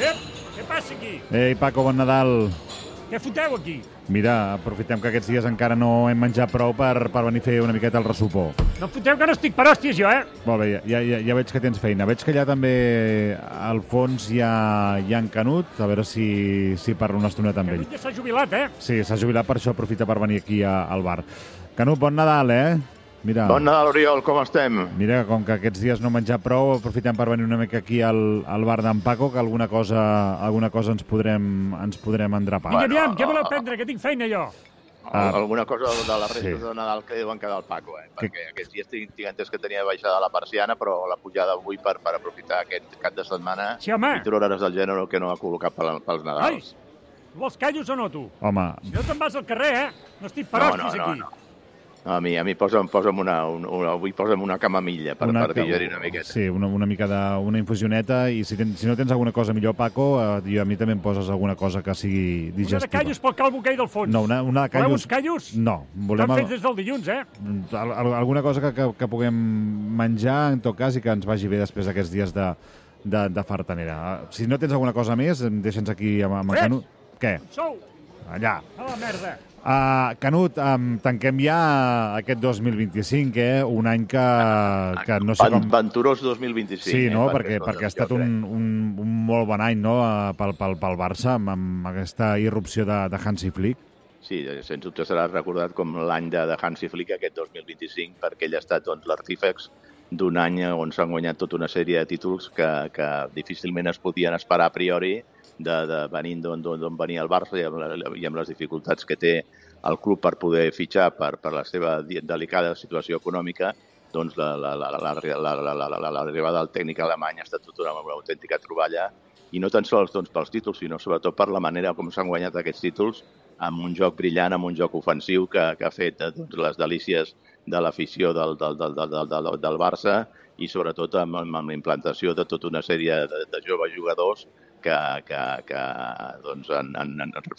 Què passa aquí? Ei, Paco, bon Nadal. Què foteu aquí? Mira, aprofitem que aquests dies encara no hem menjat prou per venir a fer una miqueta el ressupó. No em foteu que no estic per hòsties, jo, Molt bé, ja veig que tens feina. Veig que allà també al fons hi ha en Canut, a veure si parlo una estoneta amb ell. Canut ja s'ha jubilat, Sí, s'ha jubilat, per això aprofita per venir aquí al bar. Canut, bon Nadal, Mira, Bon Nadal, Oriol, com estem? Mira, com que aquests dies no hem menjat prou, aprofitem per venir una mica aquí al bar d'en Paco, que alguna cosa ens podrem endrapar. Vinga, aviam, què voleu prendre? Que tinc feina, jo. Alguna cosa de les restes de Nadal que deuen quedar al Paco, perquè aquests dies tinc entès que tenia baixada la persiana, però la pujada avui per aprofitar aquest cap de setmana Sí, home. i trobaràs el gènere que no ha col·locat pels Nadals. Vols callos o no, tu? Home, Si no te'n vas al carrer, No estic per hòsties aquí. No, a mi posa'm una camamilla per digerir una miqueta. Sí, una mica d'una infusioneta, i si no tens alguna cosa millor, Paco, a mi també em poses alguna cosa que sigui digestiva. Una de callos pel calvo aquell del fons. No, una de callos... Voleu uns callos? No. Estan fets des del dilluns, Alguna cosa que puguem menjar, en tot cas, i que ens vagi bé després d'aquests dies de fartanera. Si no tens alguna cosa més, deixa'ns aquí amb en Canut. Què? Sou! Allà. A la merda. Canut, tanquem ja aquest 2025, un any que no sé com... Venturós 2025. Sí, no? Perquè ha estat un molt bon any, no?, pel Barça, amb aquesta irrupció de Hansi Flick. Sí, sens dubte serà recordat com l'any de Hansi Flick, aquest 2025, perquè ell ha estat l'artífex d'un any on s'han guanyat tota una sèrie de títols que difícilment es podien esperar a priori, venint d'on venia el Barça i amb les dificultats que té el club per poder fitxar per la seva delicada situació econòmica, doncs l'arribada del tècnic alemany ha estat tota una autèntica troballa, i no tan sols pels títols, sinó sobretot per la manera com s'han guanyat aquests títols, amb un joc brillant, amb un joc ofensiu que ha fet les delícies de l'afició del Barça, i sobretot amb la implantació de tota una sèrie de joves jugadors que han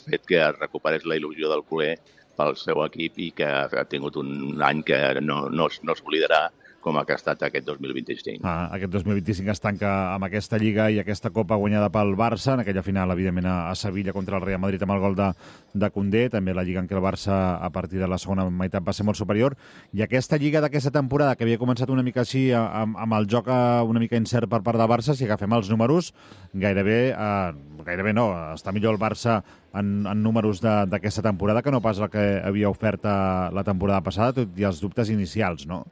fet que es recuperés la il·lusió del culer pel seu equip i que ha tingut un any que no es oblidarà com ha estat aquest 2025. Aquest 2025 es tanca amb aquesta Lliga i aquesta Copa guanyada pel Barça, en aquella final, evidentment, a Sevilla contra el Real Madrid amb el gol de Koundé, també la Lliga en què el Barça, a partir de la segona meitat, va ser molt superior. I aquesta Lliga d'aquesta temporada, que havia començat una mica així, amb el joc una mica incert per part del Barça, si agafem els números, gairebé no, està millor el Barça en números d'aquesta temporada que no pas el que havia ofert la temporada passada, tot i els dubtes inicials, no?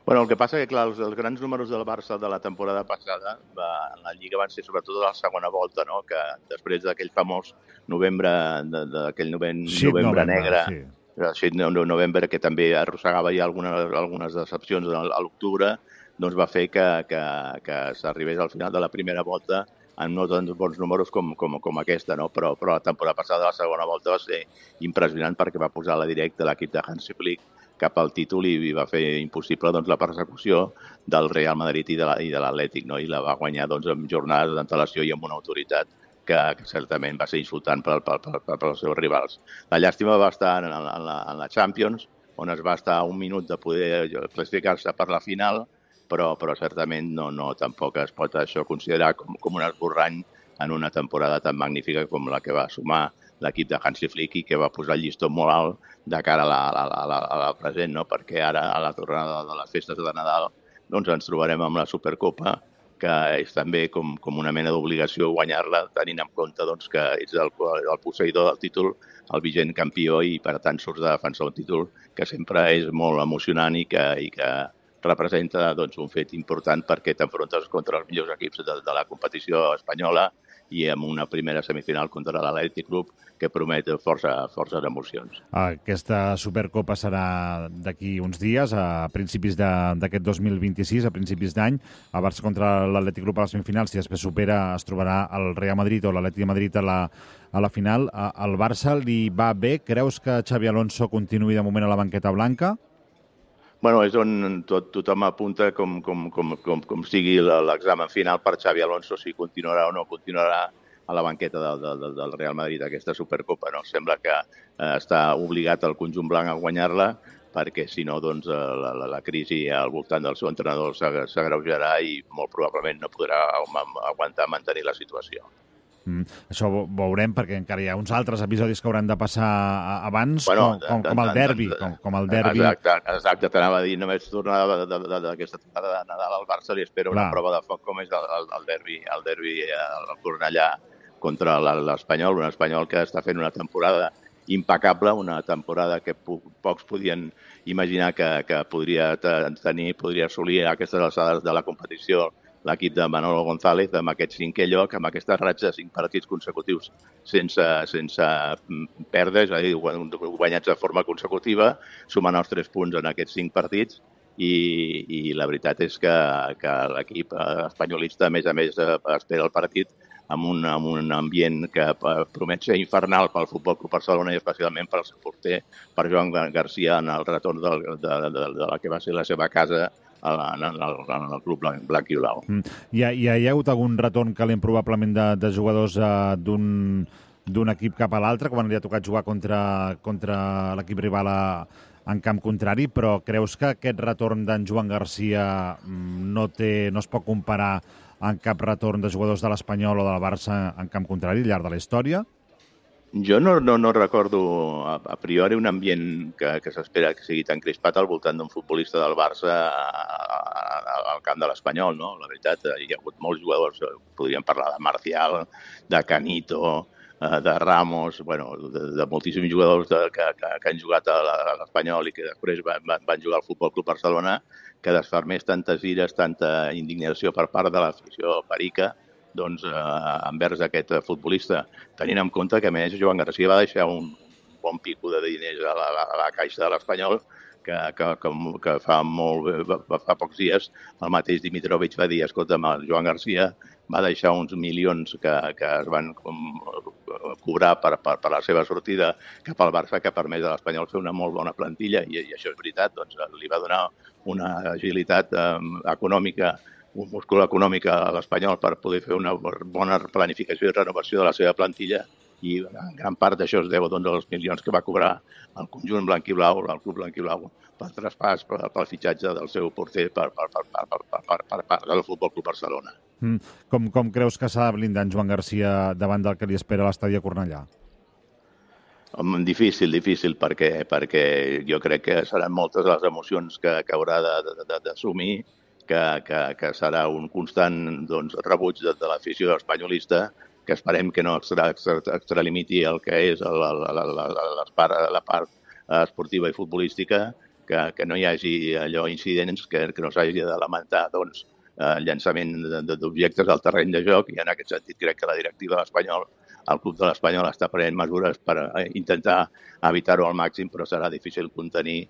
Bueno, el que passa que, clar, els grans números del Barça de la temporada passada en la Lliga van ser sobretot a la segona volta, no?, que després d'aquell famós novembre negre, novembre, que també arrossegava ja algunes decepcions a l'octubre, doncs va fer que s'arribés al final de la primera volta amb no tants bons números com aquesta, no? Però la temporada passada, la segona volta, va ser impressionant perquè va posar la directa l'equip de Hansi Flick cap al títol i va fer impossible la persecució del Real Madrid i de l'Atlètic, no? I la va guanyar amb jornades d'antelació i amb una autoritat que certament va ser insultant pels seus rivals. La llàstima va estar en la Champions, on es va estar a un minut de poder classificar-se per la final, però certament tampoc es pot això considerar com un esborrany en una temporada tan magnífica com la que va sumar l'equip de Hansi Flick i que va posar el llistó molt alt de cara a la present, no? Perquè ara, a la tornada de les festes de Nadal, doncs ens trobarem amb la Supercopa, que és també com una mena d'obligació guanyar-la, tenint en compte que ets el posseïdor del títol, el vigent campió, i per tant surts de defensar un títol que sempre és molt emocionant i que representa un fet important perquè t'enfrontes contra els millors equips de la competició espanyola i amb una primera semifinal contra l'Atlètic Club que promet forces emocions. Aquesta Supercopa serà d'aquí uns dies, a principis d'aquest 2026, a principis d'any. El Barça contra l'Atlètic Club a la semifinal, si després supera, es trobarà el Real Madrid o l'Atlètic de Madrid a la final. Al Barça li va bé? Creus que Xabi Alonso continuï de moment a la banqueta blanca? Bueno, és on tothom apunta com sigui l'examen final per Xabi Alonso, si continuarà o no continuarà a la banqueta del Real Madrid aquesta Supercopa, no? Sembla que està obligat el conjunt blanc a guanyar-la, perquè si no, doncs, la crisi al voltant del seu entrenador s'agreujarà i molt probablement no podrà aguantar mantenir la situació. Això ho veurem, perquè encara hi ha uns altres episodis que hauran de passar abans, com el derbi. Exacte, t'anava a dir, només tornar d'aquesta temporada de Nadal al Barça, li espero una prova de foc com és el derbi al Cornellà contra l'Espanyol, un Espanyol que està fent una temporada impecable, una temporada que pocs podien imaginar que podria assolir a aquestes alçades de la competició l'equip de Manolo González amb aquest 5è lloc, amb aquesta ratxa de 5 partits consecutius sense perdre, és a dir, guanyats de forma consecutiva, sumant els 3 punts en aquests 5 partits, i la veritat és que l'equip espanyolista, a més, espera el partit amb un ambient que promet ser infernal pel Futbol Club Barcelona i especialment pel seu porter, per Joan Garcia, en el retorn de la que va ser la seva casa en el club blanc i blau. Hi ha hagut algun retorn calent probablement de jugadors d'un equip cap a l'altre, quan li ha tocat jugar contra l'equip rival en camp contrari, però creus que aquest retorn d'en Joan Garcia no es pot comparar amb cap retorn de jugadors de l'Espanyol o del Barça en camp contrari al llarg de la història? Jo no recordo a priori un ambient que s'espera que sigui tan crispat al voltant d'un futbolista del Barça al camp de l'Espanyol, no? La veritat, hi ha hagut molts jugadors, podríem parlar de Marcial, de Canito, de Ramos, de moltíssims jugadors que han jugat a l'Espanyol i que després van jugar al Futbol Club Barcelona, que desfermés tantes ires, tanta indignació per part de l'afició perica, doncs, envers aquest futbolista, tenint en compte que, a més, Joan Garcia va deixar un bon pico de diners a la caixa de l'Espanyol, que fa pocs dies el mateix Dimitrovic va dir, escolta'm, el Joan Garcia va deixar uns milions que es van cobrar per la seva sortida cap al Barça, que ha permès a l'Espanyol fer una molt bona plantilla, i això és veritat, doncs li va donar una agilitat econòmica, un múscul econòmic a l'Espanyol per poder fer una bona planificació i renovació de la seva plantilla, i en gran part d'això es deu als milions que va cobrar el conjunt blanquiblau, el club blanquiblau, pel traspàs, pel fitxatge del seu porter per part del Futbol Club Barcelona. Com creus que s'ha de blindar en Joan Garcia davant del que li espera a l'estadi a Cornellà? Difícil, perquè jo crec que seran moltes les emocions que haurà d'assumir, que serà un constant rebuig de l'afició espanyolista, que esperem que no extralimiti el que és la part esportiva i futbolística, que no hi hagi incidents, que no s'hagi de lamentar llançament d'objectes al terreny de joc, i en aquest sentit crec que la directiva de l'Espanyol, el club de l'Espanyol, està prenent mesures per intentar evitar-ho al màxim, però serà difícil contenir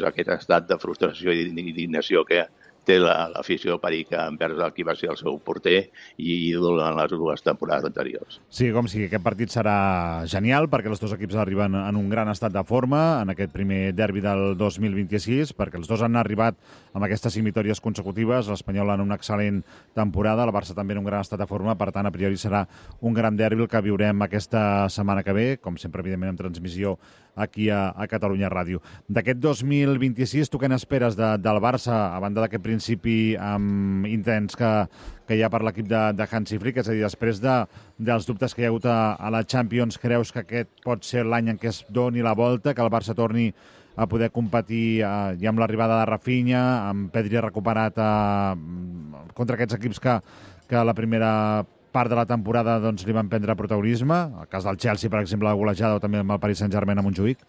aquest estat de frustració i d'indignació que té l'afició perica envers el qui va ser el seu porter i ídol en les 2 temporades anteriors. Sí, com sigui, aquest partit serà genial perquè els 2 equips arriben en un gran estat de forma en aquest primer derbi del 2026, perquè els 2 han arribat amb aquestes 5 victòries consecutives, l'Espanyol en una excel·lent temporada, el Barça també en un gran estat de forma, per tant, a priori serà un gran derbi el que viurem aquesta setmana que ve, com sempre, evidentment, en transmissió aquí a Catalunya Ràdio. D'aquest 2026, tu què n'esperes del Barça, a banda d'aquest principi intens que hi ha per l'equip de Hansi Flick? És a dir, després dels dubtes que hi ha hagut a la Champions, creus que aquest pot ser l'any en què es doni la volta, que el Barça torni a poder competir ja amb l'arribada de Rafinha, amb Pedri recuperat contra aquests equips que la primera part de la temporada li van prendre protagonisme? El cas del Chelsea, per exemple, la golejada, o també amb el Paris Saint-Germain a Montjuïc?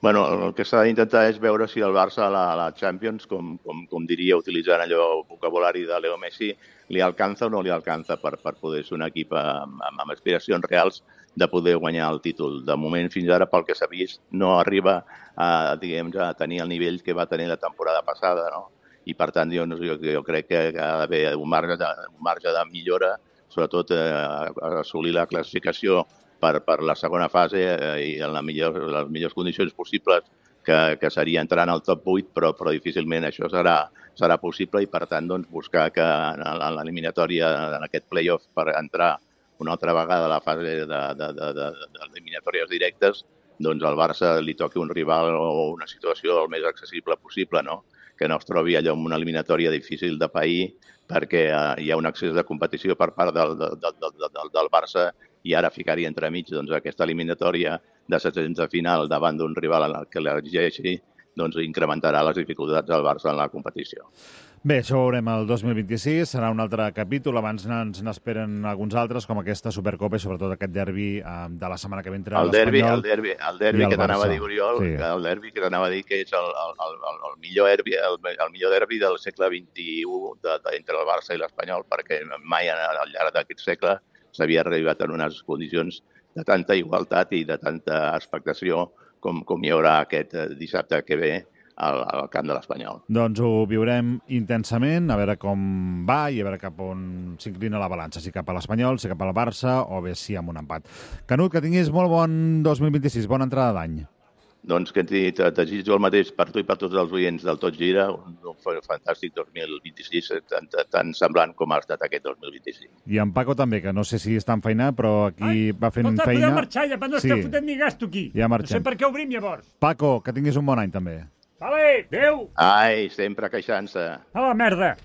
El que s'ha d'intentar és veure si el Barça a la Champions, com diria, utilitzant allò vocabulari de Leo Messi, li alcança o no li alcança per poder ser un equip amb aspiracions reals de poder guanyar el títol. De moment, fins ara, pel que s'ha vist, no arriba a tenir el nivell que va tenir la temporada passada, no? I, per tant, jo crec que ha d'haver un marge de millora, sobretot assolir la classificació per la segona fase i en les millors condicions possibles, que seria entrar en el top 8, però difícilment això serà possible, i, per tant, buscar que en l'eliminatòria, en aquest play-off, per entrar una altra vegada a la fase d'eliminatòries directes, doncs al Barça li toqui un rival o una situació el més accessible possible, no? Que no es trobi allò en una eliminatòria difícil de pair perquè hi ha un excés de competició per part del Barça i ara ficar-hi entremig doncs, aquesta eliminatòria de 700 de final davant d'un rival en el que l'exigeixi doncs incrementarà les dificultats del Barça en la competició. Bé, això ho veurem el 2026, serà un altre capítol, abans ens n'esperen alguns altres, com aquesta Supercopa i sobretot aquest derbi de la setmana que ve entre l'Espanyol el derbi que t'anava a dir, Oriol, sí. El derbi que t'anava a dir que és el millor derbi del segle XXI entre el Barça i l'Espanyol, perquè mai al llarg d'aquest segle s'havia arribat en unes condicions de tanta igualtat i de tanta expectació com hi haurà aquest dissabte que ve al camp de l'Espanyol. Doncs ho viurem intensament, a veure com va i a veure cap on s'inclina la balança, si cap a l'Espanyol, si cap al Barça o bé si amb un empat. Canut, que tinguis molt bon 2026, bona entrada d'any. Doncs que te desitjo el mateix per tu i per tots els oients del Tot Gira, un fantàstic 2026, tan semblant com ha estat aquest 2025. I en Paco també, que no sé si està enfeinat, però aquí va fent feina. Podeu marxar, ja no esteu fotent ni gasto aquí. Ja marxem. No sé per què obrim llavors. Paco, que tinguis un bon any també. Vale, adéu. Ai, sempre queixant-se. A la merda.